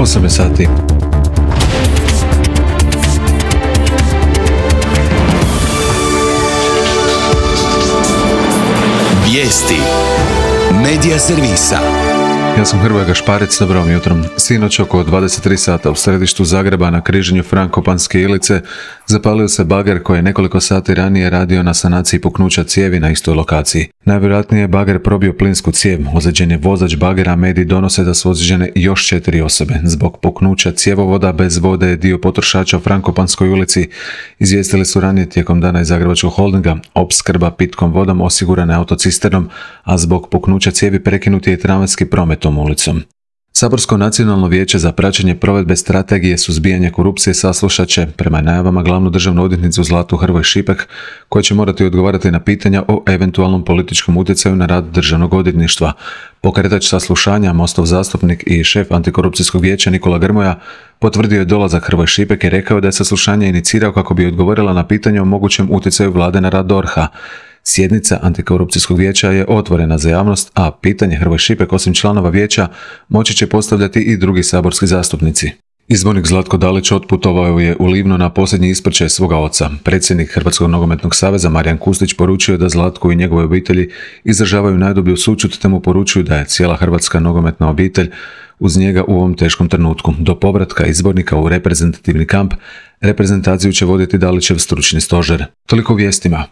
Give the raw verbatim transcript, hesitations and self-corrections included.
osam sati. Vijesti Medija servisa. Ja sam Hrvoje Gašparec, dobro vam jutrom. Sinoć oko dvadeset tri sata u središtu Zagreba na križanju Frankopanske Ilice zapalio se bager koji je nekoliko sati ranije radio na sanaciji puknuća cijevi na istoj lokaciji. Najvjerojatnije je bager probio plinsku cijev, ozlijeđen je vozač bagera, mediji donose da su ozlijeđene još četiri osobe. Zbog puknuća cjevovoda bez vode je dio potrošača u Frankopanskoj ulici, izvijestili su ranije tijekom dana iz Zagrebačkog holdinga. Opskrba pitkom vodom osigurana je autocisternom, a zbog puknuća cijevi prekinut je i tramvajski promet tom ulicom. Saborsko nacionalno vijeće za praćenje provedbe strategije suzbijanja korupcije saslušat će, prema najavama, glavnu državnu odvjetnicu Zlatu Hrvoj Šipek, koja će morati odgovarati na pitanja o eventualnom političkom utjecaju na rad državnog odvjetništva. Pokretač saslušanja, Mostov zastupnik i šef antikorupcijskog vijeća Nikola Grmoja potvrdio je dolazak Hrvoj Šipek i rekao da je saslušanje inicirao kako bi odgovorila na pitanje o mogućem utjecaju vlade na rad D O R H-a. Sjednica antikorupcijskog vijeća je otvorena za javnost, a pitanje Hrvoj Šipek osim članova vijeća moći će postavljati i drugi saborski zastupnici. Izbornik Zlatko Dalić otputovao je u Livno na posljednji ispraćaj svoga oca. Predsjednik Hrvatskog nogometnog saveza Marijan Kustić poručio da Zlatko i njegove obitelji izražavaju najdublju sućut te mu poručuju da je cijela hrvatska nogometna obitelj uz njega u ovom teškom trenutku. Do povratka izbornika u reprezentativni kamp reprezentaciju će voditi Dalićev stručni stožer. Toliko u vijestima.